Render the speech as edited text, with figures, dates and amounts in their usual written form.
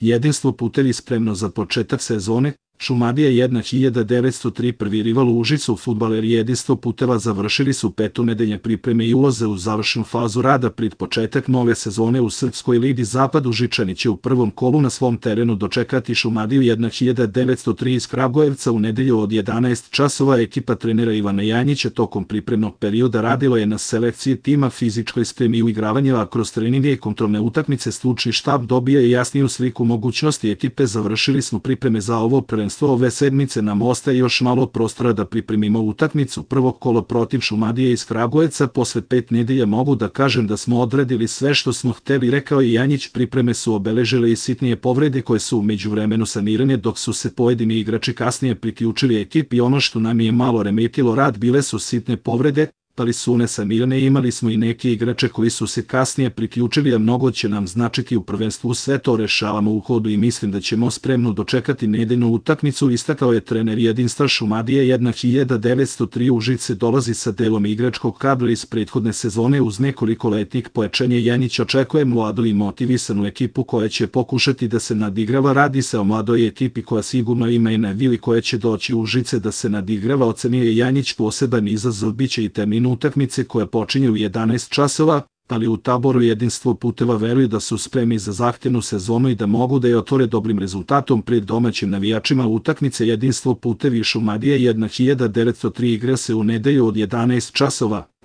Jedinstvo putevi spremno za početak sezone, Šumadija 1903 prvi rival u Užicu. Fudbaleri Jedinstvo puteva završili su petonedeljne pripreme i ulaze u završnu fazu rada pred početak nove sezone u Srpskoj ligi Zapad. Užičani će u prvom kolu na svom terenu dočekati Šumadiju 1903 iz Kragujevca u nedelju od 11 časova. Ekipa trenera Ivana Janjića tokom pripremnog perioda radilo je na selekciji tima, fizičkoj spremi i uigravanju, a kroz treninge i kontrolne utakmice stručni štab dobija i jasniju sliku mogućnosti ekipe. Završili smo pripreme za ovo prvenstvo. Ove sedmice nam ostaje još malo prostora da pripremimo utakmicu prvog kola protiv Šumadije iz Kragujevca. Posle 5 nedelja mogu da kažem da smo odradili sve što smo hteli, rekao je Janjić. Pripreme su obeležile i sitnije povrede koje su u međuvremenu sanirane, dok su se pojedini igrači kasnije priključili ekipi. Ono što nam je malo remetilo rad bile su sitne povrede, ali su one sanirane. Imali smo i neke igrače koji su se kasnije priključili, a mnogo će nam značiti u prvenstvu. Sve to rešavamo u hodu i mislim da ćemo spremno dočekati nedeljnu utakmicu, istakao je trener Jedinstva. Šumadija 1903 Užice dolazi sa delom igračkog kadra iz prethodne sezone uz nekoliko letnih pojačanja. Janjić očekuje mladu i motivisanu ekipu koja će pokušati da se nadigrava. Radi se o mladoj ekipi koja sigurno ima i nevili koja će doći u Užice da se nadigrava, ocenio je Janjić. Poseban izazov biće i termin utakmice koja počinje u 11 časova, ali u taboru Jedinstvo puteva veruju da su spremni za zahtevnu sezonu i da mogu da je otvore dobrim rezultatom pred domaćim navijačima. Utakmice Jedinstvo putevi Šumadija 1903 igra se u nedelju od 11 časova.